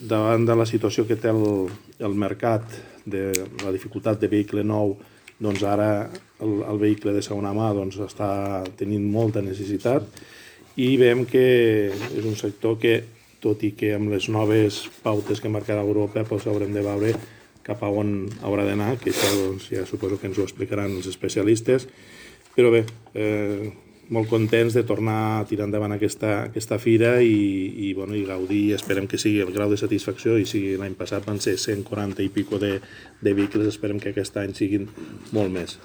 Davant de la situació que té el mercat, de la dificultat de vehicle nou, doncs ara el vehicle de segona mà està tenint molta necessitat i veiem que és un sector que, tot i que amb les noves pautes que marcarà Europa, haurem de veure cap a on haurà d'anar, que això ja suposo que ens ho explicaran els especialistes, però bé, molt contents de tornar a tirar endavant aquesta fira i gaudir. Esperem que sigui el grau de satisfacció, i si l'any passat van ser 140 i pico de vehicles, esperem que aquest any siguin molt més.